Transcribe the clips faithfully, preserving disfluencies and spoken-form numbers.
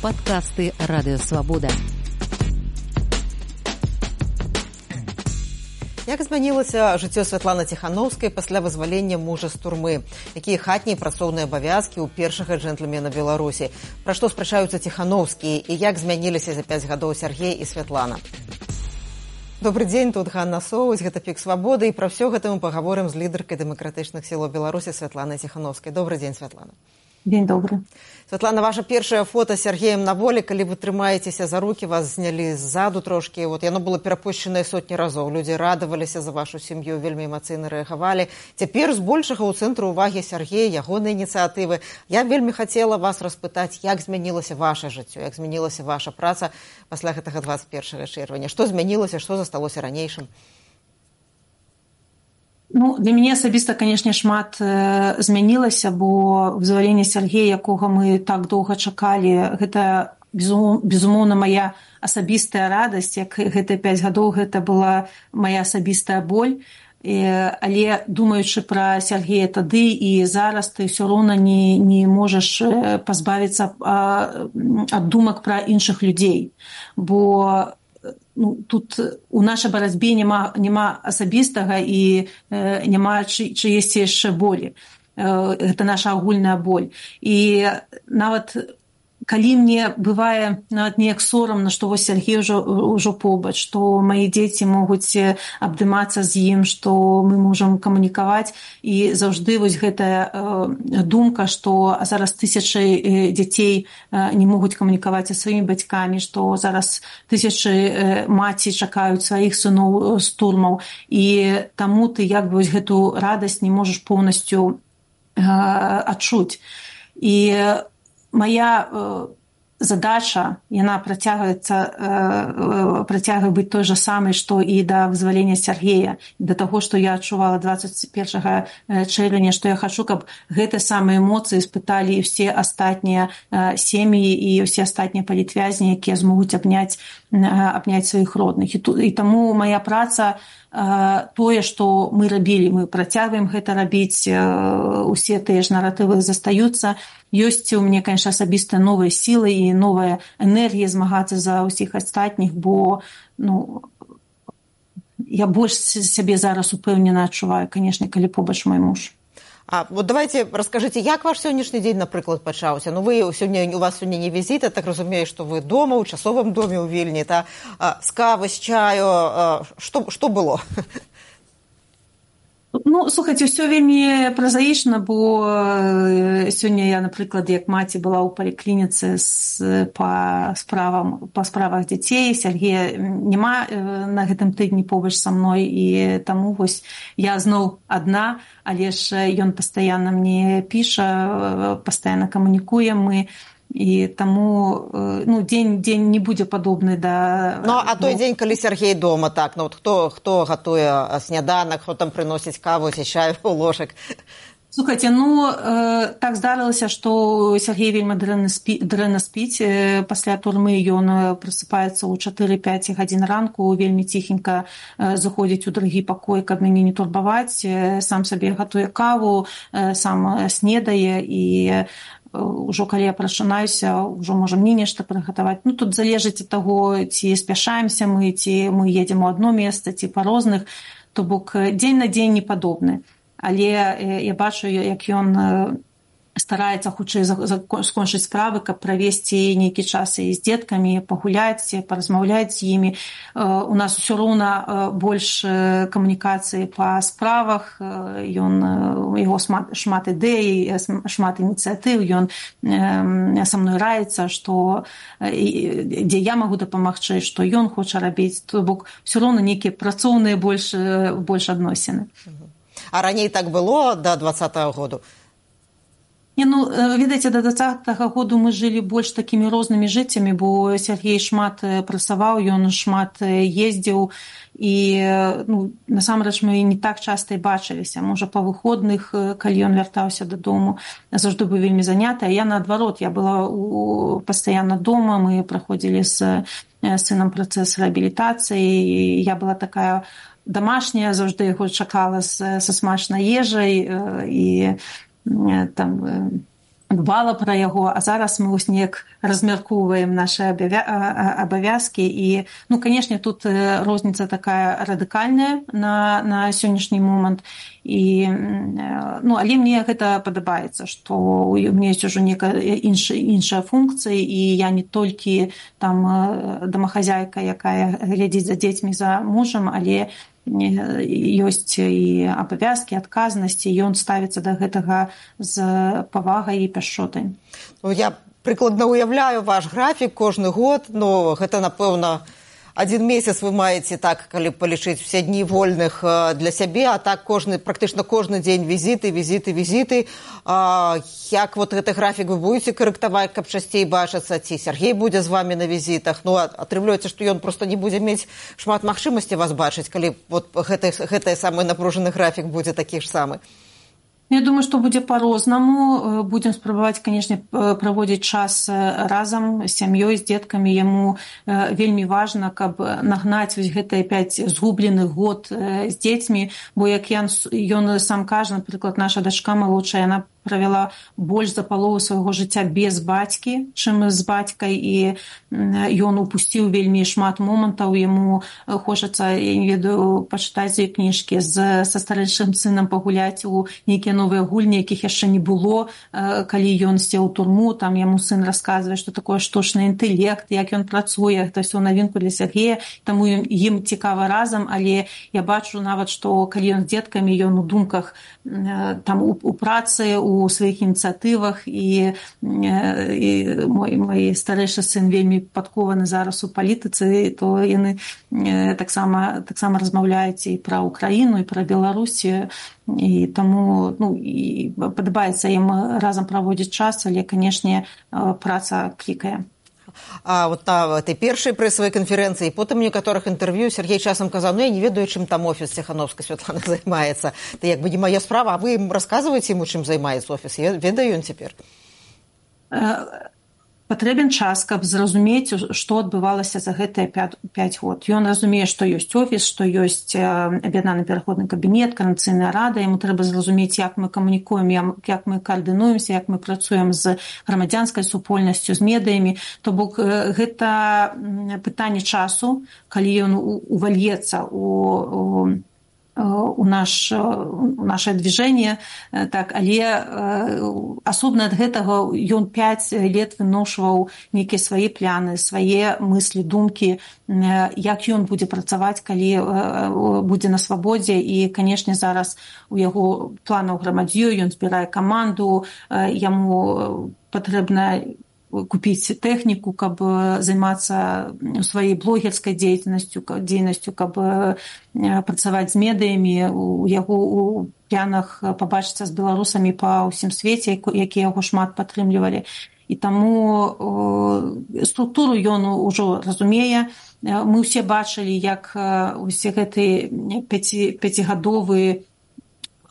Падкасты Радыёвабода. Як змянілася жыццё Святланы Ціханаўскай пасля вызвалення мужа з турмы? Якія хатнія працоўныя абавязкі ў першага джентльмена Беларусі? Пра што спрачаюцца Ціханаўскія і як змяніліся за пяць гадоў Сяргей і Святлана? Добрый дзень, тут Ганна Соўць, гэта Пік Свабоды, і пра ўсё гэта мы пагаворым з лідаркай дэмакратычных сілаў Беларусі Святланай Ціханаўскай. Добрый дзень, Святлана. Дзень добры. Святлана, ваша першае фота з Сяргеем на волі, калі вы трымаецеся за рукі, вас знялі ззаду трошкі. Вот, яно было перапушчанае сотні разоў. Людзі радаваліся за вашу сям'ю, вельмі эмацыйна рэагавалі. Цяпер збольшага ў цэнтру ўвагі Сяргея, ягоныя ініцыятывы. Я вельмі хацела вас распытаць, як змянілася ваша жыццё, як змянілася ваша праца пасля гэтага дваццаць першага чэрвеня. Што змянілася, што засталося ранейшым? Ну, для мяне асабіста, канешне, шмат э, змянілася, бо вызваленне Сяргея, якога мы так доўга чакалі, гэта, безум, безумоўна, мая асабістая радасць, як гэтыя пяць гадоў, гэта была мая асабістая боль. Э, але, думаючы пра Сяргея тады і зараз, ты ўсё роўна не, не можаш пазбавіцца а, ад думак пра іншых людзей. Бо ну, тут у нашай барацьбе няма, няма асабістага і э, няма чы, чыесьці яшчэ болі. Э, гэта наша агульная боль. І нават калі мне бывае нават неяк сорамна, што вось Сяргей ўжо, ўжо побач, што мои дзеці могуць абдымацца з ім, што мы можам камунікаваць, і заўжды вось гэтая э, думка, што зараз тысячы э, дзяцей э, не могуць камунікаваць са сваімі бацькамі, што зараз тысячы э, маці чакаюць сваіх сыноў з турмаў, і таму ты як бы вось гэту радасць не можаш поўнасцю э, адчуць. І моя э, задача, яна працягваецца, э, працягвае быць той жа самай, што і да вызвалення Сяргея, да таго, што я адчувала дваццаць першага чэрвеня, што я хачу, каб гэтыя самыя эмоцыі испыталі і ўсе астатнія э, сем'і і ўсе астатнія палітвязні, якія змогуць абняць, э, абняць сваіх родных. І, і таму моя праца, тое, што мы рабілі, мы працягваем гэта рабіць, усе тыя ж наратывы застаюцца. Ёсць у мяне, конечно, асабіста новыя сілы і новая энергія змагацца за ўсіх астатніх, бо ну, я больш сябе зараз упэўнена адчуваю, конечно, калі побач мой муж. А вот давайте расскажите, як ваш сённяшні дзень, напрыклад, пачаўся? Ну, вы сёння, у вас сёння не візіт, я так разумею, што вы дома, у часовым доме ў Вільні, та з кавы, з чаю, што, што было? Ну, слухайце, ўсё вельмі празаічна, бо сёння я, напрыклад, як маці была ў паліклініцы з, па, справам, па справах дзяцей, Сяргея няма на гэтым тыдні побач са мной, і таму вось я зноў адна, але ж ён пастаянна мне піша, пастаянна камунікуем мы, і таму ну, дзень, дзень не будзе падобны да... Ну, а той дзень, калі Сяргей дома, так, ну, хто, хто гатуе сняданак, хто там прыносіць каву, ці чай у ложак? Слухайце, ну, э, так здарылася, што Сяргей вельмі дрэнна, спі, дрэнна спіць. Э, пасля турмы ён просыпаецца ў чатыры-пяць гадзін ранку, вельмі ціхенька э, заходзіць у другі пакой, каб мяне не турбаваць, э, сам сабе гатуе каву, э, сам снедае, і ўжо калі я прачынаюся, ўжо можа мне нешта прыгатаваць. Ну, тут залежыць ад таго, ці спяшаемся мы, ці мы едзем у адно месца, ці па розных, то бок дзень на дзень не падобны. Але я бачу, як ён стараецца хутчэй скончыць справы, каб правесці нейкі час і з дзеткамі, пагуляць, паразмаўляць з імі. У нас усё роўна больш камунікацыі па справах, ён, яго шмат ідэй, шмат ініцыятыў, ён са мной раіцца, што, дзе я магу дапамагчы, што ён хоча рабіць, то бок усё роўна нейкія працоўныя больш, больш адносіны. А раней так было да дваццатага году? Не, ну, відаеце, да дваццатага году мы жылі больш такімі рознымі жыццямі, бо Сяргей шмат працаваў, ён шмат ездзіў, і ну, насамрэч мы не так часта і бачыліся. Можа, па выходных, калі ён вяртаўся дадому, заўжды быў вельмі заняты, а я наадварот, я была у, пастаянна дома, мы праходзілі з сынам працэс рэабілітацыі, і я была такая домашняя, заўжды яго чакала са смачнай ежай, і там дбала пра яго, а зараз мы вось неяк размяркоўваем нашы абавязкі. І, ну, канешне, тут розніца такая радыкальная на, на сённяшні момант. І, ну, але мне гэта падабаецца, што у мяне ёсць ужо некая іншая, іншая функцыя, і я не толькі там домахазяйка, якая глядзіць за дзецьмі, за мужам, але ёсць і абавязкі, адказнасці, ён ставіцца да гэтага з павагай і пяшчотай. Ну, я прыкладна уяўляю ваш графік кожны год, но гэта, напэўна, адзін месяц вы маеце, так, калі палічыць усе дні вольных для сябе, а так кожны, практычна кожны дзень візіты, візіты, візіты. А, як вот гэты графік вы будете карэктаваць, каб часцей бачыцца, ці Сергей будзе з вами на візітах? Ну, атрымліваецца, што ён проста не будзе мець шмат магчымасці вас бачыць, калі вот гэты, гэты самы напружаны графік будзе такі ж самы. Я думаю, што будзе па-рознаму. Будзем спрабаваць, канешне, праводзіць час разам з сям'ёй, з дзеткамі. Яму вельмі важна, каб нагнаць вось гэтыя пяць згубленых год з дзецьмі, бо як ён, ён сам кажа, напрыклад, наша дачка малодшая, яна правяла больш за палову свайго жыцця без бацькі, чым з бацькай, і ён упусціў вельмі шмат момантаў. Яму хочацца, я не ведаю, пачытаць з кніжкі, з, са старэйшым сынам пагуляць у нейкія новыя гульні, якіх яшчэ не было, калі ён сеў у турму. Там яму сын расказвае, што такое штучны інтэлект, як ён працуе, гэта ўсё навінку для Сергея, таму ім цікава разам, але я бачу нават, што калі ён з дзеткамі, ён у думках там у, у працы, у сваіх ініцыятывах, і, і мой, мой старэйшы сын вельмі падкованы зараз у палітыцы, то яны таксама, таксама размаўляюць і пра Украіну, і пра Беларусію, і таму, ну, і падабаецца ім разам праводзіць час, але, канешне, праца клікае. А вот на этой першай прэсавай канферэнцыі, потым некаторых інтэрв'ю Сергей часам казаў: ну, я не ведаю, чым там офіс Ціхановскай Святланы займаецца. Это як бы не моя справа, а вы ім расказваеце ему, чым займаецца офіс? Я ведаю ён цяпер. Патрэбен час, каб зразумець, што адбывалася за гэтыя пяць год. Ён разумее, што ёсць офіс, што ёсць аб'яднаны пераходны кабінет, Коордынацыйная рада. Яму трэба зразумець, як мы камунікуем, як мы каардынуемся, як мы працуем з грамадзянскай супольнасцю, з медыямі. То бок гэта пытанне часу, калі ён увальецца у у, наш, у наше движение, так, але асобна ад гэтага ён пяць лет выношваў нейкія свае пляны, свае мыслі, думкі, як ён будзе працаваць, калі будзе на свабодзе. І, канешне, зараз у яго планаў грамадзё, ён збірае каманду, яму патрэбна купіць тэхніку, каб займацца сваёй блогерскай дзейнасцю, дзейнасцю, каб працаваць з медыямі. У яго у планах пабачыцца з беларусамі па ўсім свеце, якія яго шмат падтрымлівалі. І таму структуру ён ужо разумее. Мы ўсе бачылі, як усе гэтыя пяцігадовыя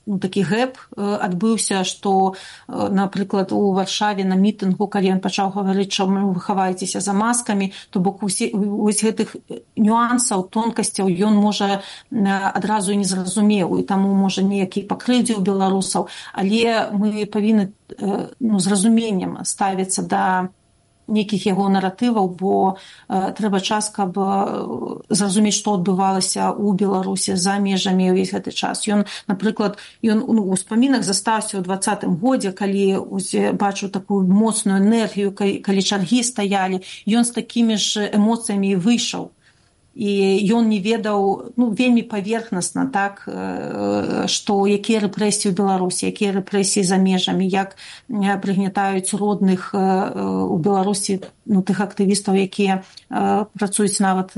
ну, такі гэп адбыўся, што, напрыклад, у Варшаве на мітынгу, калі ён пачаў гаварыць, што вы хаваецеся за маскамі, то бок усе, вось гэтых нюансаў, тонкасцяў ён можа адразу і не зразумеў, і таму можа неякі пакрыўдзіў беларусаў, але мы павінны ну, з разуменнем ставіцца да нейкіх яго наратываў, бо э, трэба час, каб э, зразумець, што адбывалася ў Беларусі за межамі ўвесь гэты час. Ён, напрыклад, ён ну, у спамінах застаўся ў двадцатым годзе, калі бачыў такую моцную энергію, калі, калі чаргі стаялі, ён з такімі ж эмоцыямі выйшаў. І ён не ведаў, ну, вельмі паверхнасна, так, што якія рэпрэсіі ў Беларусі, якія рэпрэсіі за межамі, як прыгнятаюць родных у Беларусі, ну, тых актывістаў, якія працуюць нават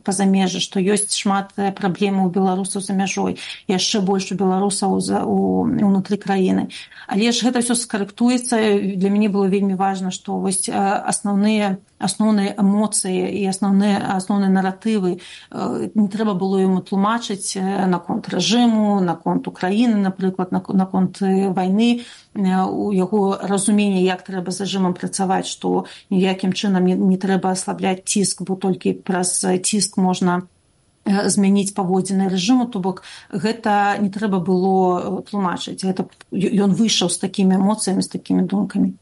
па-за межы, што ёсць шмат праблемаў у беларусаў за мяжой, яшчэ больш у беларусаў унутры краіны. Але ж гэта ўсё скарэктуецца. Для мяне было вельмі важна, што вось асноўныя асноўныя эмоцыі і асноўныя асноўныя наратывы не трэба было яму тлумачыць наконт рэжыму, наконт Украіны, напрыклад, наконт вайны, у яго разуменне, як трэба з рэжымам працаваць, што ніякім чынам не, не трэба аслабляць ціск, бо толькі праз ціск можна змяніць паводзіны рэжыму, то бок гэта не трэба было тлумачыць. Гэта ён выйшаў з такімі эмоцыямі, з такімі думкамі.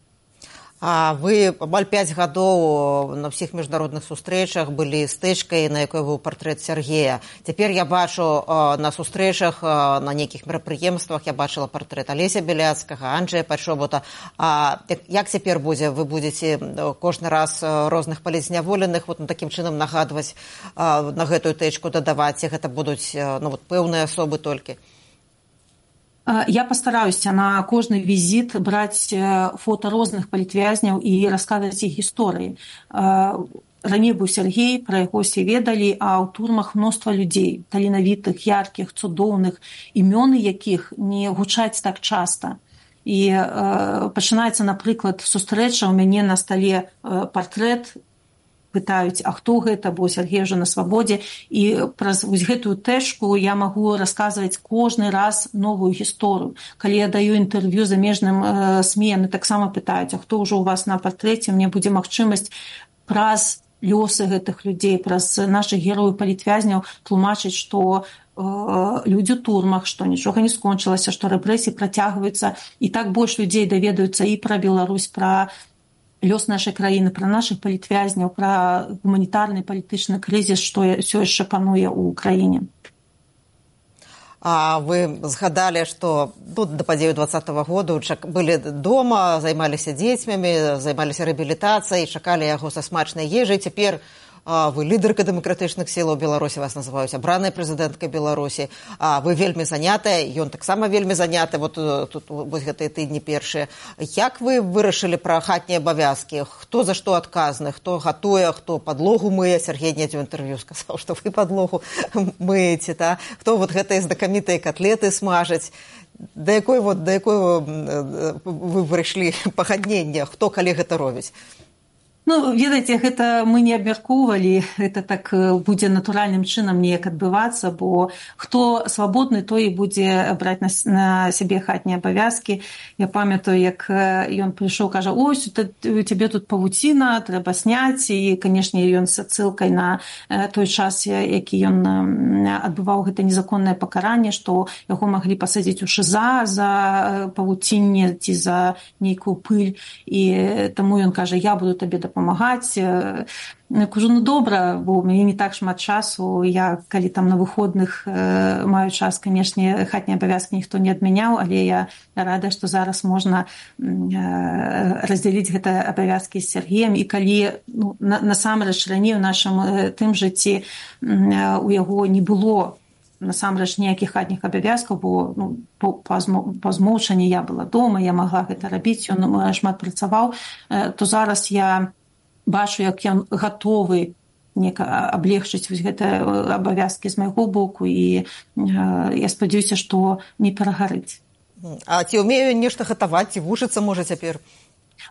А вы амаль пяць гадоў на ўсіх міжнародных сустрэчах былі стэчкай, на якой быў партрэт Сергея. Цяпер я бачу на сустрэчах, на нейкіх мерапрыемствах, я бачыла партрэт Алеся Беляцкага, Анджэя Пачобута. А як цяпер будзе? Вы будзеце кожны раз розных палізняволеных вот такім чынам нагадваць, на гэтую тэчку дадаваць, гэта будуць ну, вот, пэўныя асобы толькі? Я постараюся на кожны візіт браць фота розных палітвязняў і расказваць іх гісторыі. Раней быў Сергей, пра яго ўсе ведалі, а ў турмах мноства людзей, таленавітых, яркіх, цудоўных, імёны якіх не гучаць так часта. І э, пачынаецца, напрыклад, сустрэча, у мяне на стале э, партрэт, пытаюць, а хто гэта, бо Сергей ўжо на свабодзе, і праз вось гэтую тэшку я магу расказваць кожны раз новую гісторыю. Калі я даю інтэрв'ю замежным э, СМІ, яны таксама пытаюць, а хто ўжо у вас на партрэце, мне будзе магчымасць праз лёсы гэтых людзей, праз нашых герояў палітвязняў тлумачыць, што э, людзі ў турмах, што нічога не скончылася, што рэпрэсіі працягваюцца, і так больш людзей даведаюцца і пра Беларусь, пра лёс нашай краіны, пра нашых палітвязняў, пра гуманітарны палітычны крызіс, што ўсё яшчэ пануе ў краіне. А вы згадалі, што ну, да падзею двадцатага году былі дома, займаліся дзецьмі, займаліся рэабілітацыяй, чакалі яго са смачнай ежай. Цяпер а, вы лідарка дэмакратычных сілаў Беларусі, вас называюць абраная прэзідэнтка Беларусі. А, вы вельмі занятая, ён таксама вельмі заняты, вот тут вось гэтыя тыдні першыя. Як вы вырашылі пра хатнія абавязкі? Хто за што адказны? Хто гатуе, хто падлогу мые? Сергей недзе ў інтэрв'ю сказаў, што вы падлогу мыеце, та? Хто вот гэтыя знакамітыя котлеты смажаць? Да якой вот, да якой вы прыйшлі пагаднення? Хто калі гэта робіць? Ну, ведаеце, гэта мы не абмяркоўвалі, гэта так будзе натуральным чынам неяк адбывацца, бо хто свабодны, той і будзе браць на, на сябе хатнія абавязкі. Я памятаю, як ён прыйшоў, кажа, ось, у цябе тут павуціна, трэба сняць, і, канешне, ён з адсылкай на той час, які ён адбываў гэта незаконнае пакаранне, што яго маглі пасадзіць у ШИЗА за павуцінне ці за нейкую пыль, і таму ён кажа, я буду табе дапамагаць. Памагаць. Я кажу, ну добра, бо у мяне не так шмат часу. Я, калі там на выходных э, маю час, канешне, хатнія абавязкі ніхто не адмяняў, але я рада, што зараз можна э, раздзяліць гэта абавязкі з Сергеем. І калі ну, на, насамрэч раней у нашым э, тым жыцці э, у яго не было насамрэч ніякіх хатніх абавязкаў, бо ну, па, па, па змоўчанні я была дома, я магла гэта рабіць, ён шмат працаваў, э, то зараз я бачу, як ён гатовы нека аблегчыць вось гэтыя абавязкі з майго боку, і э, я спадзяюся, што не перагарыць. А ці ўмею нешта гатаваць, ці вучыцца можа цяпер?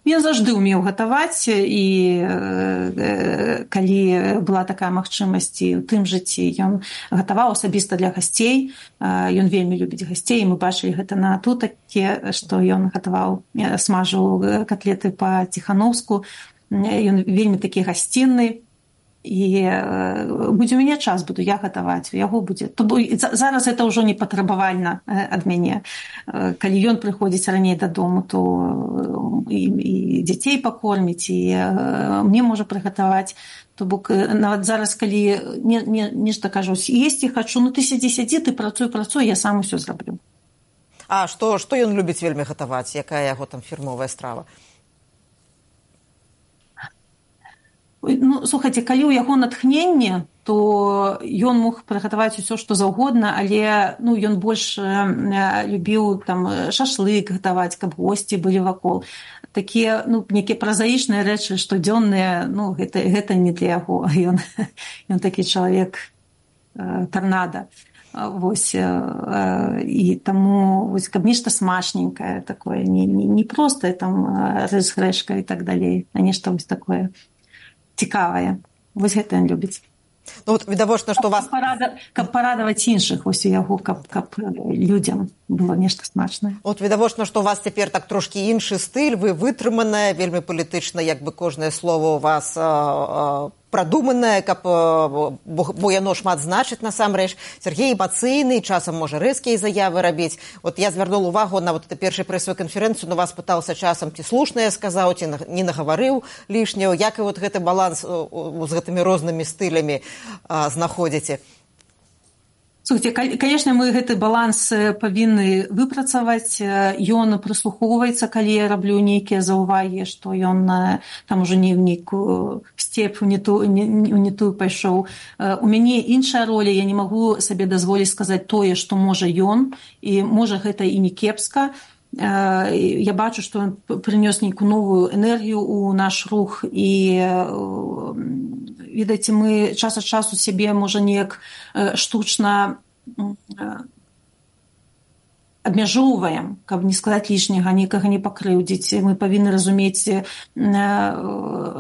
Ён заўжды ўмеў гатаваць, і э, калі была такая магчымасць і ў тым жыцці, ён гатаваў асабіста для гасцей, э, ён вельмі любіць гасцей, і мы бачылі гэта на тутакі, што ён гатаваў, смажыў котлеты па-ціхановску, ён вельмі такі гасцінны, і э, будзе у мяне час, буду я гатаваць, у яго будзе. То, зараз гэта ўжо не патрабавальна ад мяне. Э, калі ён прыходзіць раней дадому, то і, і дзяцей пакорміць, і э, мне можа прыгатаваць. То бок нават зараз, калі не, не, нешта кажу, есці хачу, ну ты сядзі, сядзі, ты працуй, працуй, я сам усё зраблю. А што, што ён любіць вельмі гатаваць? Якая яго там фірмовая страва? Ну, слухайце, калі ў яго натхненне, то ён мог прыгатаваць усё, што заўгодна, але ну, ён больш э, любіў там шашлык гатаваць, каб госці былі вакол. Такія ну, нейкія празаічныя рэчы, штодзённыя, ну, гэта, гэта не для яго. Ён, ён такі чалавек э, тарнада. Вось, э, і таму, вось, каб нешта смачненькае такое, не, не, не простае там рыс з грэчкай і так далей, а нешта вось такое цікавае. Вось гэта ён любіць. Ну, вот, відавочна, што вас... Каб, парада... каб парадаваць іншых, вось у яго, каб, каб людзям было нешта смачнае. От відавочна, што у вас цяпер так трошкі іншы стыль, вы вытрыманая, вельмі палітычна, як бы кожнае слово у вас а, а, прадуманае, каб, бо, бо яно шмат значыць насамрэч. Сергей эмацыйны, часам можа рэзкія заявы рабіць. Вот я звярнула увагу на вот эту першую прэсавую канферэнцыю, но вас пытаўся часам, ці слушна я сказаў, ці не нагаварыў лішняго. Як і вот гэты баланс з гэтымі рознымі стылямі а, знаходзіце? Слухайте, конечно, мы гэты баланс павінны выпрацаваць. Ён прыслухоўваецца, калі я раблю нейкія заўвагі, што ён там ужо не ў нейкую степ, у не ту, не, не тую пайшоў. У мяне іншая роля, я не магу сабе дазволіць сказаць тое, што можа ён, і можа гэта і не кепска. Я бачу, што ён прынёс нейкую новую энергію ў наш рух, і відаце, мы час ад часу сябе можа неяк штучна абмяжоўваем, каб не сказаць лішняга, нікага не пакрыўдзіць. Мы павінны разумець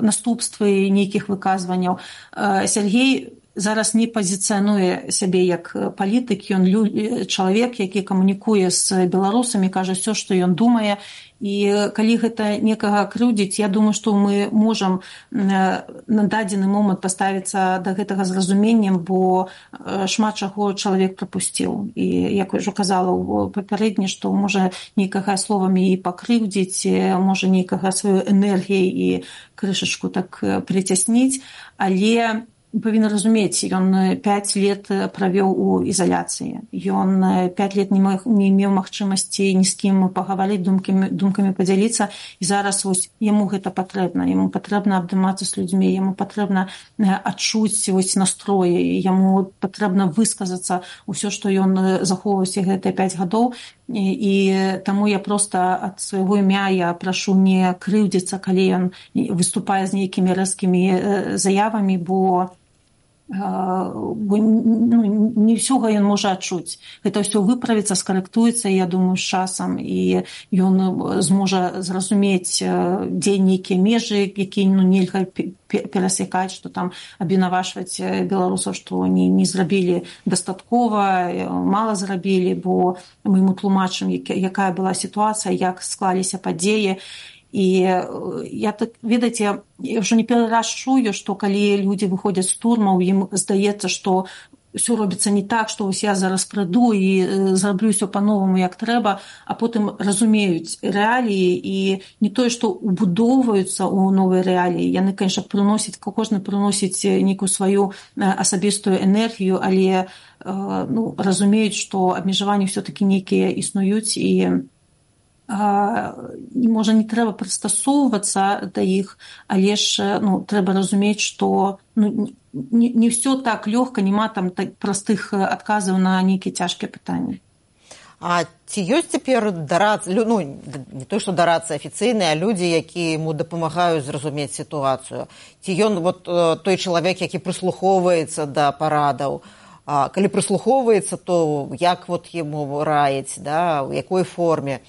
наступствы нейкіх выказванняў. Сергей зараз не пазіцыянуе сябе як палітык, ён чалавек, які камунікуе з беларусамі, кажа ўсё, што ён думае. І калі гэта некага крыўдзіць, я думаю, што мы можам на дадзены момант паставіцца да гэтага з разуменнем, бо шмат чаго чалавек прапусціў. І як я ўжо казала ў папярэдне, што можа нейкага словамі і пакрыўдзіць, можа нейкага сваю энергіяй і крышачку так прыцясніць, але павінен разумець, ён пяць лет правёў у ізаляцыі. Ён пяць лет не, мог, не меў магчымасці ні з кім пагаварыць, думкамі, думкамі падзяліцца, і зараз вось яму гэта патрэбна. Яму патрэбна абдымацца з людзьмі, яму патрэбна адчуць вось настроі, яму патрэбна высказацца ўсё, што ён захоўваўся гэтыя пяць гадоў. І, і таму я проста ад свайго імя я прашу не крыўдзіцца, калі ён выступае з нейкімі рэзкімі заявамі, бо бо ну, не ўсёга ён можа адчуць. Гэта ўсё выправіцца, скарэктуецца, я думаю, з часам, і ён зможа зразумець, дзе нейкія межы, якія ну, нельга перасякаць, што там абвінавачваць беларусаў, што не, не зрабілі дастаткова, мала зрабілі, бо мы ему тлумачым, якая была сітуацыя, як склаліся падзеі. І я так, ведаеце, я ўжо не першы раз чую, што калі людзі выходзяць з турмаў, ім здаецца, што ўсё робіцца не так, што вось я зараз прыйду і зраблю ўсё па-новаму, як трэба, а потым разумеюць рэаліі і не тое, што убудоўваюцца ў новыя рэаліі. Яны, конечно, прыносяць, кожны прыносіць нейкую сваю асабістую энергію, але ну, разумеюць, што абмежаванні ўсё-такі нейкія існуюць, і можа, не трэба прыстасоўвацца да іх, але ж ну, трэба разумець, што ну, не, не ўсё так лёгка, няма там так простых адказаў на нейкія цяжкія пытанні. А ці ёсць цяпер дарацца, ну, не то, што дарацца афіцыйныя, а людзі, якія яму дапамагаюць зразумець сітуацыю? Ці ён вот, той чалавек, які прыслухоўваецца да парадаў? А калі прыслухоўваецца, то як вот яму раіць, да, у якой форме?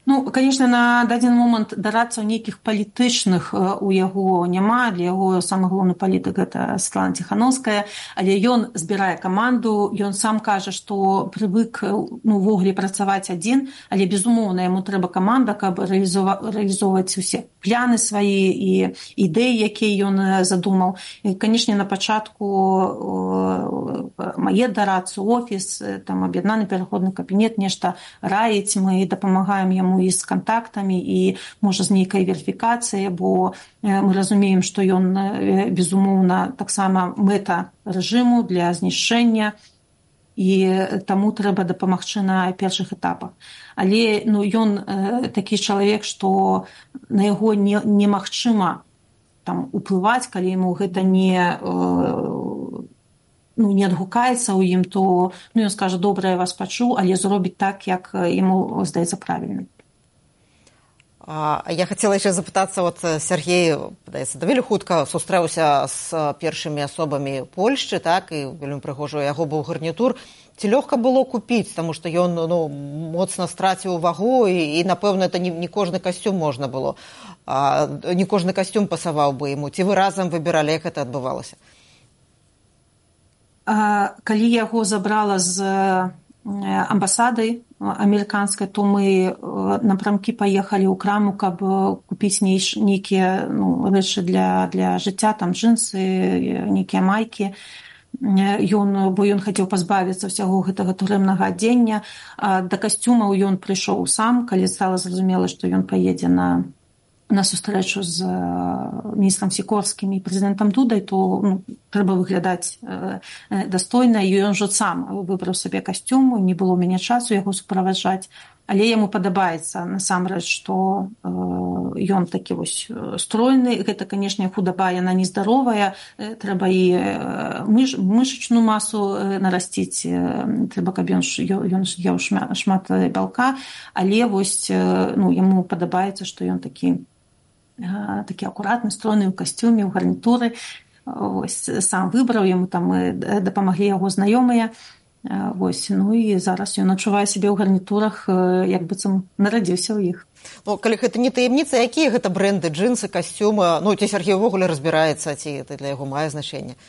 Ну, конечно, на дадзены момант дарацца ў нейкіх палітычных у яго няма. Для яго самы галоўны палітык гэта Светлана Ціхановская, але ён збірае каманду, ён сам кажа, што прывык ну, ввогуле працаваць адзін, але безумоўна яму трэба каманда, каб рэалізоўваць усе пляны свае і ідэі, якія ён задумаў. І, канешне, на пачатку мае дарацца офіс, там аб'яднаны пераходны кабінет, нешта раіць, мы дапамагаем яму і з кантактамі, і, можа, з нейкай верыфікацыяй, бо мы разумеем, што ён, безумоўна, таксама мэта рэжыму для знішчэння, і таму трэба дапамагчы на першых этапах. Але ну, ён такі чалавек, што на яго не, немагчыма там, уплываць, калі яму гэта не, ну, не адгукаецца ў ім, то ну, ён скажа, добра, я вас пачуў, але зробіць так, як яму здаецца правільным. Я хацела яшчэ запытацца, вот Сергей, падаецца, даволі хутка сустрэўся з першымі асобамі Польшчы, так, і вельмі прыгожа яго быў гарнітур. Ці лёгка было купіць, таму што ён ну, моцна страціў вагу, і, і напэўна, это не, не кожны касцюм можна было, а, не кожны касцюм пасаваў бы яму. Ці вы разам выбіралі, як гэта адбывалася? А, калі яго забрала з амбасады амерыканскай, то мы напрамкі паехалі ў краму, каб купіць нейкія ну, рэчы для, для жыцця, там джинсы, нейкія майкі. Ён, бо ён хацеў пазбавіцца ўсяго гэтага турэмнага адзення. Да касцюмаў ён прыйшоў сам, калі стала зразумела, што ён паедзе на на сустрэчу з міністрам Сікорскім і прэзідэнтам Дудай, то ну, трэба выглядаць э, дастойна, і ён жа сам выбраў сабе касцюм, не было ў мяне часу яго суправаджаць, але яму падабаецца насамрэч, што э, ён такі вось стройны. Гэта, канешне, худаба, яна нездаровая, э, трэба і мыш, мышачную масу э, нарасціць, э, трэба, каб ён, ён еў шмат, шмат бялка, але вось э, ну, яму падабаецца, што ён такі такі акуратны, стройны ў касцюме, ў гарнітуры. Вось, сам выбраў, яму там дапамаглі яго знаёмыя. Вось, ну і зараз ён адчувае сябе ў гарнітурах, як быццам нарадзіўся ў іх. Ну, калі гэта не таямніца, якія гэта бренды, джинсы, касцюмы? Ну, ці Сергей увогуле разбіраецца, ці это для яго мае значэнне?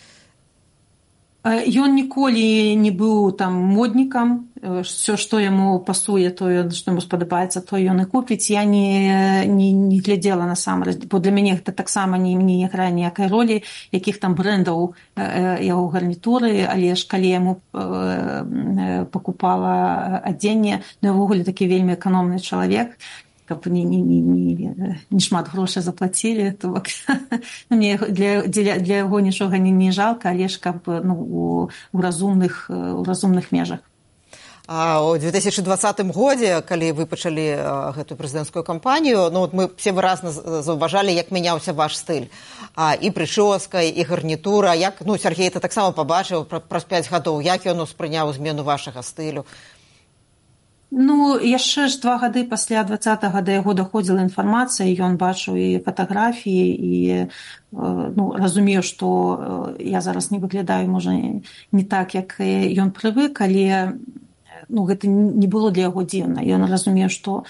Ён ніколі не быў там моднікам, все, што яму пасуе, то, што яму спадабаецца, то ён і купіць. Я не, не, не глядзела насамрэч, бо для мяне гэта таксама не, не грае ніякай ролі, якіх там брэндаў яго гарнітуры, але ж калі яму пакупала адзенне, ну, ўвогуле такі вельмі эканомны чалавек, каб не, не, не, не, не шмат грошай заплацілі, то мне для, для, для яго нічога не, не жалка, але ж каб ну, у, у, разумных, у разумных межах. А ў две тысячы двадцатым годзе, калі вы пачалі а, гэтую прэзідэнцкую кампанію, ну, вот мы все выразна заўважалі, як мяняўся ваш стыль. А, і прычоска, і гарнітура. Як, ну, Сергей это таксама пабачыў праз пяць гадоў. Як ён успрыняў змену вашага стылю? Ну, яшчэ ж два гады пасля двадцатага да яго даходзіла інфармацыя, ён бачыў і фатаграфіі, і ну, разумею, што я зараз не выглядаю, можа, не так, як ён прывык, але ну, гэта не было для яго дзіўна. Ён разумеў, што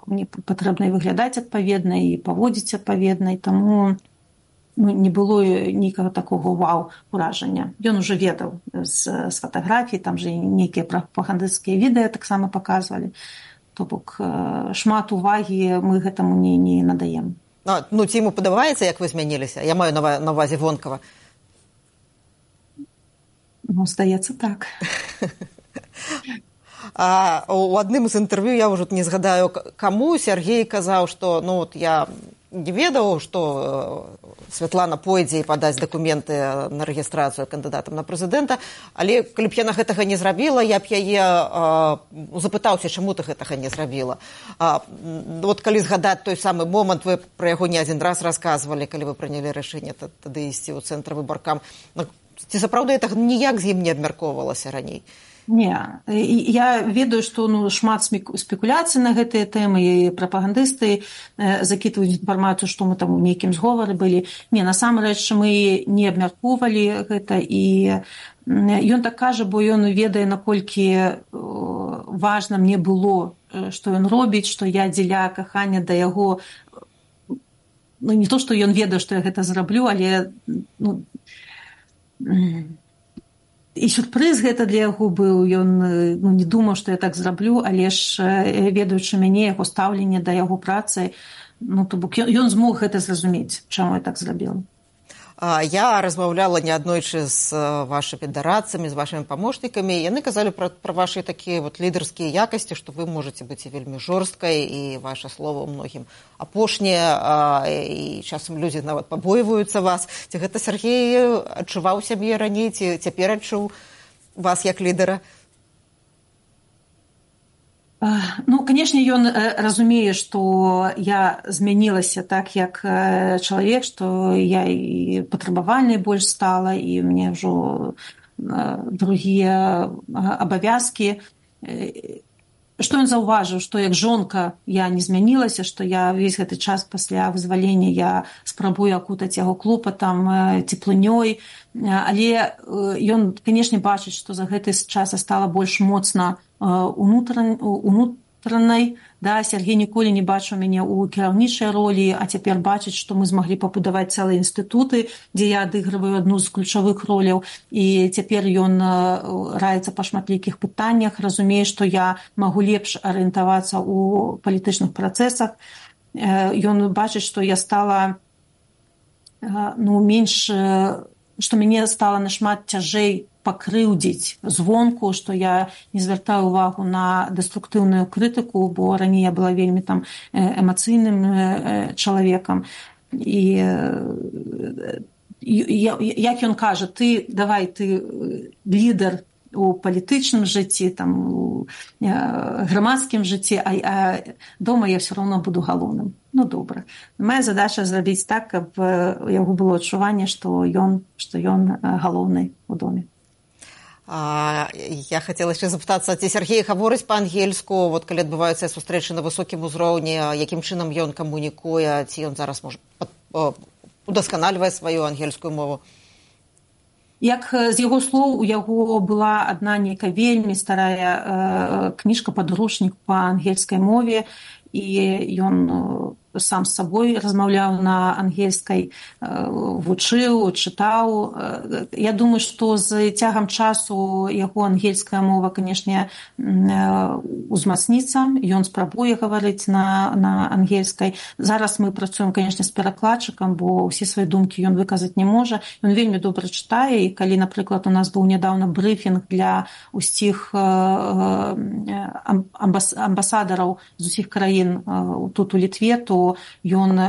мне патрэбна і выглядаць адпаведна, і паводзіць адпаведна, і таму ну, не было нейкага такога вау-уражання. Ён уже ведаў з, з фатаграфій, там же нейкія прапагандысцкія відэа таксама паказвалі. То бок шмат увагі мы гэтаму не, не надаем. А, ну, ці яму падабаецца, як вы змяніліся? Я маю на, на увазе вонкава. Ну, здаецца, так. А у адным з інтэрв'ю, я ўжо не згадаю, каму Сергей казаў, што ну, вот я не ведаў, што Святлана пойдзе і падаць дакументы на рэгістрацыю кандыдатам на прэзідэнта, але калі б яна гэтага не зрабіла, я б яе а, запытаўся, чаму ты гэтага не зрабіла. А, вот калі згадаць той самы момант, вы пра яго не адзін раз расказвалі, калі вы прынялі рашэнне тады ісці ў цэнтр выбаркам. Ці сапраўды гэта ніяк з ім не абмяркоўвалася раней? Не, я ведаю, што ну, шмат спекуляцый на гэтыя тэмы, і прапагандысты закідваюць інфармацыю, што мы там у нейкім зговары былі. Не, насамрэч мы не абмяркоўвалі гэта, і ён так кажа, бо ён ведае, наколькі важна мне было, што ён робіць, што я дзеля кахання да яго, ну не то, што ён ведае, што я гэта зраблю, але ну, і сюрпрыз гэта для яго быў, ён ну, не думаў, што я так зраблю, але ж ведаючы мяне, яго стаўленне да яго працы, ну, то бок ён, ён змог гэта зразумець, чаму я так зрабіла. Я размаўляла неаднойчы з вашымі дарадцамі, з вашымі памочнікамі. Яны казалі пра, пра вашы такія вот лідарскія якасці, што вы можаце быць і вельмі жорсткай, і ваше слово ў многім апошняе, і часам людзі нават пабойваюцца вас. Ці гэта Сергей адчуваў сябе раней, ці цяпер адчуў вас як лідара? Ну, канешне, ён разумее, што я змянілася так, як чалавек, што я і патрабавальнай больш стала, і мне ўжо другія абавязкі. Што ён заўважыў, што як жонка я не змянілася, што я ўвесь гэты час пасля вызвалення я спрабую акутаць яго клопатам, цеплынёй, але ён, канешне, бачыць, што за гэты час я стала больш моцна унутран, унутранай. Да, Сергей ніколі не бачыў мяне ў кіраўнічай ролі, а цяпер бачыць, што мы змаглі пабудаваць цэлыя інстытуты, дзе я адыгрываю адну з ключавых роляў. І цяпер ён раіцца па шматлікіх пытаннях, разумее, што я магу лепш арыентавацца ў палітычных працэсах. Ён бачыць, што я стала ну, менш, што мяне стала нашмат цяжэй пакрыўдзіць звонку, што я не звяртаю увагу на дэструктыўную крытыку, бо раней я была вельмі там эмацыйным чалавекам. І як ён кажа, ты давай, ты лідар у палітычным жыцці, там, у грамадскім жыцці, а, а дома я все равно буду галоўным. Ну, добра. Моя задача зрабіць так, каб у яго было адчуванне, што ён, што ён галоўны у доме. А, я хацела яшчэ запытацца, ці Сергей гаворыць па-ангельску, вот калі адбываюцца сустрэчы на высокім узроўні, якім чынам ён камунікуе, ці ён зараз можа удасканальвае сваю ангельскую мову? Як з яго слоў, у яго была адна нейкая вельмі старая э, кніжка-падручнік па ангельскай мове, і ён сам з сабой размаўляў на ангельскай, вучыў, чытаў. Я думаю, што з цягам часу яго ангельская мова, канешне, узмацніцца. Ён спрабуе гаварыць на, на ангельскай. Зараз мы працуем, канешне, з перакладчыкам, бо ўсе свае думкі ён выказаць не можа. Ён вельмі добра чытае, і калі, напрыклад, у нас быў нядаўна брыфінг для ўсіх амбас, амбасадараў з усіх краін тут у Літве, то ён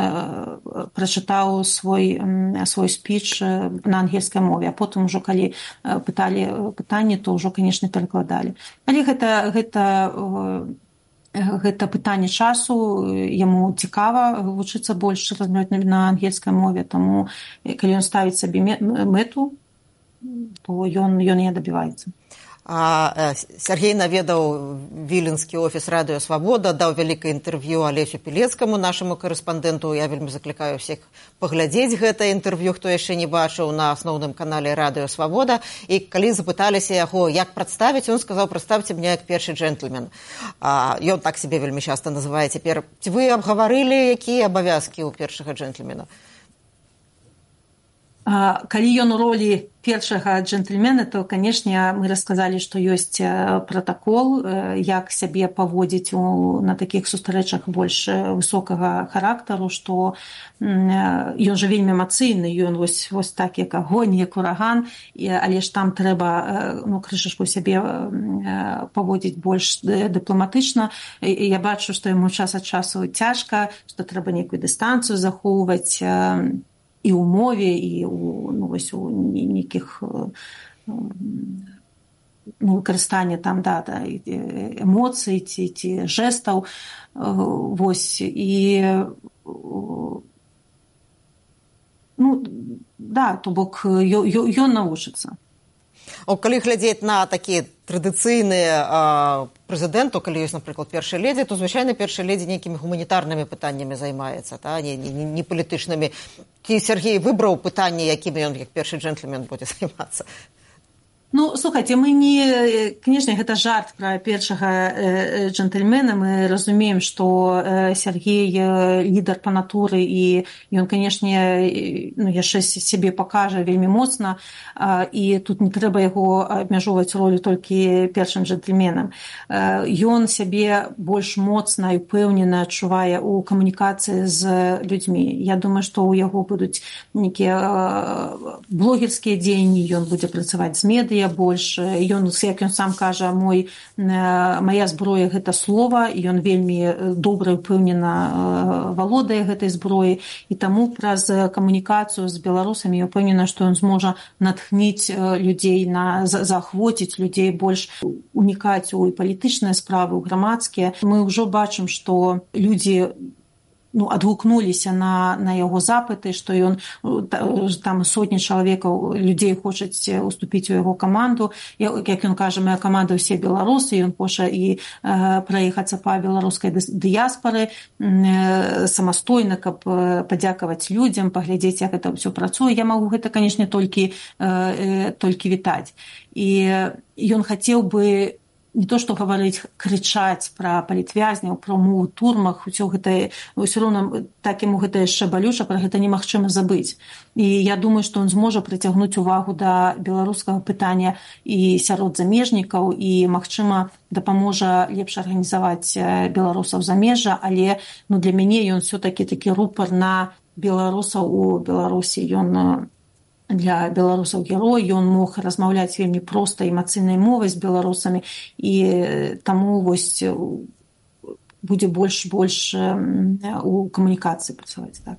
прачытаў свой, свой спіч на ангельскай мове, а потым ужо, калі пыталі пытанні, то ўжо, канешне, перакладалі. Але гэта, гэта, гэта пытанне часу, яму цікава вучыцца больш размаўляць на ангельскай мове, таму, калі ён ставіць сабе мэту, то ён, ён не дабіваецца. А, Сергей наведаў віленскі офіс радыё «Свабода», даў вялікае інтэрв'ю Алесю Пілецкаму, нашаму карэспандэнту. Я вельмі заклікаю ўсіх паглядзець гэтае інтэрв'ю, хто яшчэ не бачыў, на асноўным канале радыё «Свабода». І калі запыталіся яго, як прадставіць, ён сказаў: «Прадставьте мне як першы джентльмен». А, ён так себе вельмі часта называе цяпер. Ці вы абгаварылі, якія абавязкі ў першага джентльмена? Калі ён у ролі першага джентльмена, то, канешне, мы расказалі, што ёсць пратакол, як сябе паводзіць у, на такіх сустрэчах больш высокага характару, што ён жа вельмі эмацыйны, ён вось, вось так, як агонь, як ураган, але ж там трэба, ну, крышачку сябе паводзіць больш дыпламатычна. Я бачу, што яму час ад часу цяжка, што трэба нейкую дыстанцыю захоўваць і ў мове, і ў, ну, вось, у нейкіх ну, выкарыстання там, да, да, эмоцый ці, ці жэстаў. Вось, і ну, да, то бок ён навучыцца. О, калі глядзець на такія традыцыйныя прэзідэнту, калі ёсць, напрыклад, першая ледзі, то, звычайна, першая ледзі нейкімі гуманітарнымі пытаннямі займаецца, та? не, не, не палітычнымі. Ці Сергей выбраў пытанні, якімі ён, як першы джентльмен, будзе займацца? Ну, слухайте, мы не... Конечно, гэта жарт пра першага джентльмена. Мы разумеем, што Сергей лідар па натуры, і ён, канешне, ну, яшчэ сябе пакажа вельмі моцна, і тут не трэба яго абмяжоўваць ролю толькі першым джентльменам. Ён сябе больш моцна і ўпэўнена адчувае ў камунікацыі з людзьмі. Я думаю, што ў яго будуць нейкія блогерскія дзеянні, ён будзе працаваць з медыя больш. Ён, як ён сам кажа, мой, моя зброя – гэта слова, і ён вельмі добра і ўпэўнена валодае гэтай зброі, і таму праз камунікацыю з беларусамі я ўпэўнена, што ён зможа натхніць людзей, на, заахвоціць людзей больш унікаць у палітычныя справы, у грамадскія. Мы ўжо бачым, што людзі ну, адгукнуліся на, на яго запыты, што ён, там сотні чалавекаў, людзей хочуць уступіць у яго каманду. Як ён кажа, моя каманда ўсе беларусы, ён хоча і э, праехацца па беларускай дыяспары э, самастойна, каб падзякаваць людзям, паглядзець, як гэта ўсё працуе. Я магу гэта, канешне, толькі, э, толькі вітаць. І ён хацеў бы не то што гаварыць, крычаць пра палітвязняў, пра умовы ў турмах, усё гэта, ўсё роўна так яму гэта яшчэ балюча, пра гэта немагчыма забыць. І я думаю, што ён зможа прыцягнуць увагу да беларускага пытання і сярод замежнікаў, і, магчыма, дапаможа лепш арганізаваць беларусаў замежжа, але ну, для мяне ён все-таки такі рупар на беларусаў у Беларусі. Ён для беларусаў герой, ён мог размаўляць вельмі проста эмацыйнай мовай з беларусамі, і таму вось будзе больш-больш у камунікацыі працаваць. Так.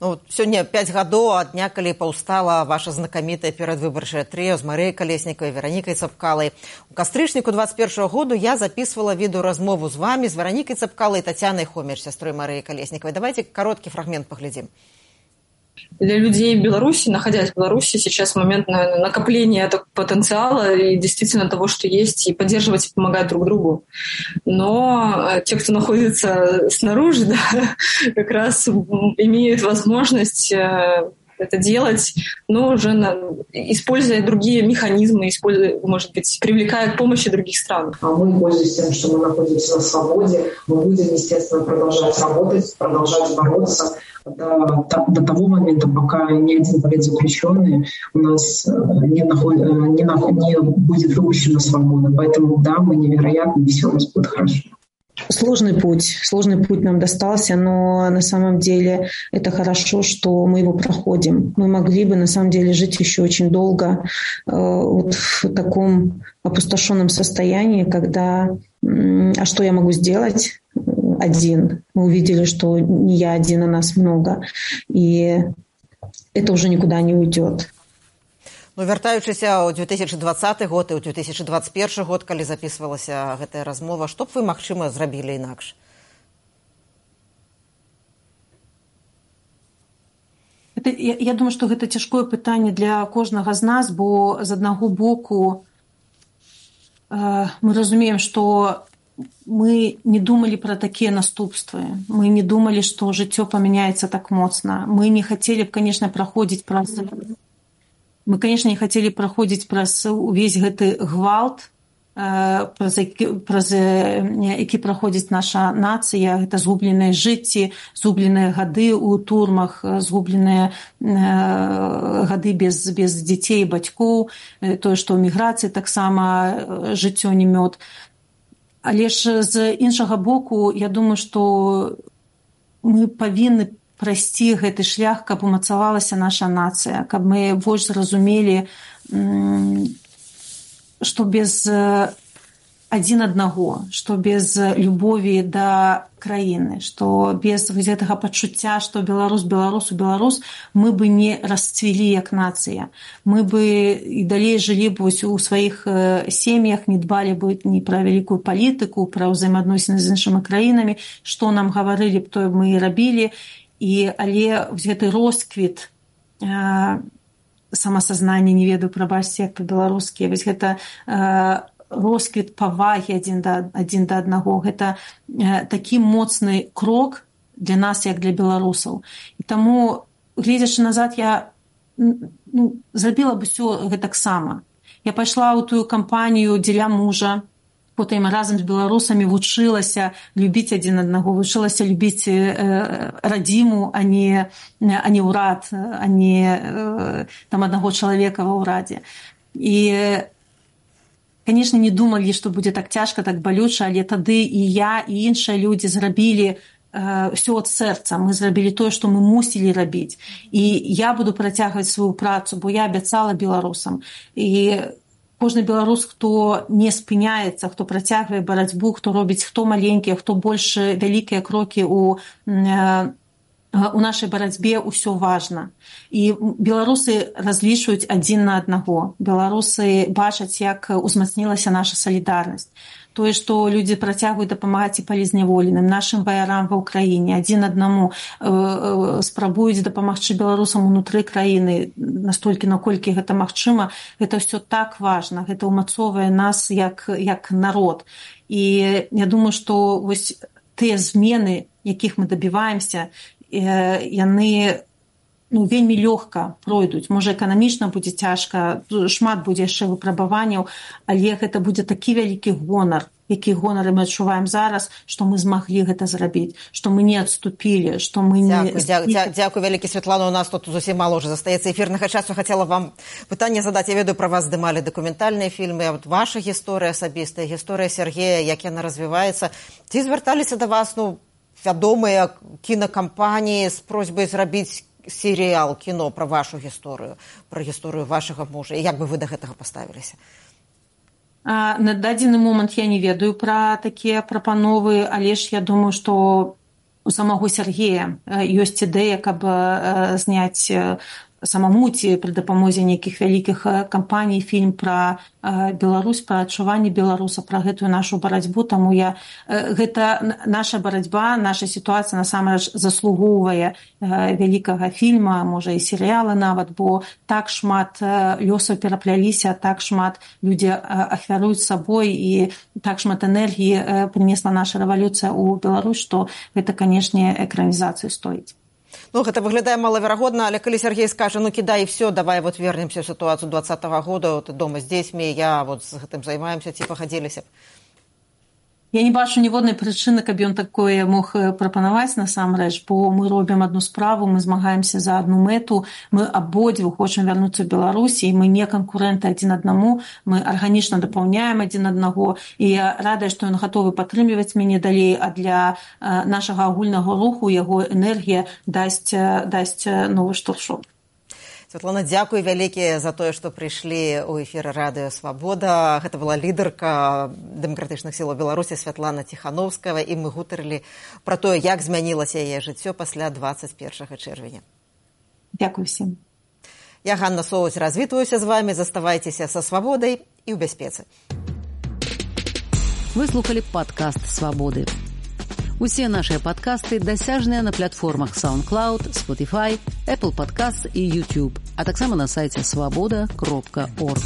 Ну, сёння пяць гадоў ад дня, калі паўстала ваша знакамітая перадвыбарчае трыё з Марыяй Калеснікавай, Веранікай Цапкалай. У кастрычніку двадцать першага году я записывала відэаразмову з вами, з Веранікай Цапкалай и Татьяной Хомич, сестрой Марыі Калесниковой. Давайте короткий фрагмент поглядим. Для людей Беларуси, находясь в Беларуси, сейчас момент накопления этого потенциала и действительно того, что есть, и поддерживать и помогать друг другу. Но те, кто находится снаружи, да, как раз имеют возможность это делать, но уже на, используя другие механизмы, используя, может быть, привлекая к помощи других стран. А мы, пользуясь тем, что мы находимся на свободе, мы будем, естественно, продолжать работать, продолжать бороться до, до того момента, пока ни один политзаключенный у нас не, наход, не, не будет выпущен на свободу. Поэтому, да, мы невероятно, и все у нас будет хорошо. Сложный путь, сложный путь нам достался, но на самом деле это хорошо, что мы его проходим. Мы могли бы на самом деле жить еще очень долго э, вот в таком опустошенном состоянии, когда э, а что я могу сделать один? Мы увидели, что не я один, а нас много, и это уже никуда не уйдет. Ну, вяртаючыся ў две тысячи двадцаты год і ў две тысячи двадцать первый год, калі записывалася гэтая размова, што б вы, магчыма, зрабілі інакш? Это, я, я думаю, што гэта цяжкое пытанне для кожнага з нас, бо з аднаго боку э, мы разумеем, што мы не думалі пра такія наступствы. Мы не думалі, што жыццё памяняецца так моцна. Мы не хацелі б, канешне, праходзіць праз... Мы, конечно, не хотели проходить праз увесь гэты гвалт, праз які, праз які праходзіць наша нацыя. Гэта згубленыя жыцці, згубленыя гады ў турмах, згубленыя гады без, без дзяцей і бацькоў, тое, што ў міграцыі таксама жыццё не мёд. Але ж з іншага боку, я думаю, што мы павінны прайсці гэты шлях, каб умацавалася наша нацыя, каб мы больш зразумелі, што без адзін аднаго, што без любові да краіны, што без гэтага пачуцця, што беларус, беларус, беларус, мы бы не расцвілі як нацыя. Мы бы і далей жылі б у сваіх сем'ях, не дбалі бы ні пра вялікую палітыку, пра ўзаемаадносіны з іншымі краінамі, што нам гаварылі б, тое мы і рабілі. І, але гэты росквіт э, самасазнання, не ведаю, прабачце, як па-беларускі, вось гэта э, росквіт павагі адзін да, адзін да аднаго, гэта э, такі моцны крок для нас, як для беларусаў. І таму, гледзячы назад, я ну, зрабіла б усё гэтаксама. Я пайшла ў тую кампанію дзеля мужа, потым разам з беларусамі вучылася любіць адзін аднаго, вучылася любіць э, радзіму, а не, а не ўрад, а не э, там аднаго чалавека ва ўрадзе. І, канешне, не думалі, што будзе так цяжка, так балюча, але тады і я, і іншыя людзі зрабілі э, ўсё ад сэрца. Мы зрабілі тое, што мы мусілі рабіць. І я буду працягваць сваю працу, бо я абяцала беларусам. І кожны беларус, хто не спыняецца, хто працягвае барацьбу, хто робіць хто маленькія, хто больш вялікія крокі у, у нашай барацьбе, ўсё важна. І беларусы разлічваюць адзін на аднаго. Беларусы бачаць, як узмацнілася наша салідарнасць. Тое, што людзі працягваюць дапамагаць і палізняволеным, нашым ваярам ва ўкраіне, адзін аднаму э, э, спрабуюць дапамагчы беларусам унутры краіны, настолькі, наколькі гэта магчыма, гэта ўсё так важна, гэта ўмацоўвае нас як, як народ. І я думаю, што вось тыя змены, якіх мы дабіваемся, э, яны ну, вельмі лёгка пройдуць. Можа, эканамічна будзе цяжка, шмат будзе яшчэ выпрабаванняў, але гэта будзе такі вялікі гонар, які гонар мы адчуваем зараз, што мы змаглі гэта зрабіць, што мы не адступілі, што мы не... Дзякуй, дзякуй, дзякуй вялікі, Святлана, у нас тут зусім мало ўжо застаецца эфірнага часу. Хацела вам пытанне задаць. Я ведаю, пра вас здымалі дакументальныя фільмы, а вот ваша гісторыя асабістая, гісторыя Сергея, як яна развіваецца. Ці звярталіся да вас, ну, вядомыя кінакампаніі з просьбай зрабіць серыял, кіно пра вашу гісторыю, пра гісторыю вашага мужа, і як бы вы да гэтага паставіліся? А, на дадзены момант я не ведаю пра такія прапановы, але ж я думаю, што у самого Сергея ёсць ідэя, каб зняць самому ці пры дапамозе нейкіх вялікіх кампаній фільм пра Беларусь, пра адчуванні беларуса, пра гэтую нашу барацьбу. Таму я гэта наша барацьба, наша сітуацыя насамрэч заслугоўвае вялікага фільма, можа і серыяла нават, бо так шмат лёсаў перапляліся, так шмат людзі ахвяруюць сабой і так шмат энергіі прынесла наша рэвалюцыя ў Беларусь, што гэта, канешне, экранізацыю стоіць. Ну, гэта выглядае малаверагодна, але калі Сергей скажа, ну, кідай, і все, давай вот вернемся ў сітуацыю двадцатага года, ты дома з дзецьмі, я вот з гэтым займаемся, ці пагадзіліся б? Я не бачу ніводнай прычыны, каб ён такое мог прапанаваць насамрэч, бо мы робім адну справу, мы змагаемся за адну мэту, мы абодвух хочам вярнуцца ў Беларусь, і мы не канкурэнты адзін аднаму, мы арганічна дапаўняем адзін аднаго, і я радая, што ён гатовы падтрымліваць мяне далей, а для нашага агульнага руху яго энергія дасць, дасць новы штуршок. Святлана, дзякуй вялікі за тое, што прыйшлі ў эфір радыё «Свабода». Гэта была лідарка дэмакратычных сілаў Беларусі Святлана Ціхановская, і мы гутарылі пра тое, як змянілася яе жыццё пасля двадцать першага чэрвеня. Дзякуй всім. Я, Ганна Соўць, развітваюся з вамі. Заставайцеся са свабодай і ў бяспецы. Вы слухалі падкаст «Свабоды». Усе нашыя падкасты дасяжныя на платформах SoundCloud, Spotify, Apple Podcasts і YouTube, а таксама на сайце свабода кропка орг.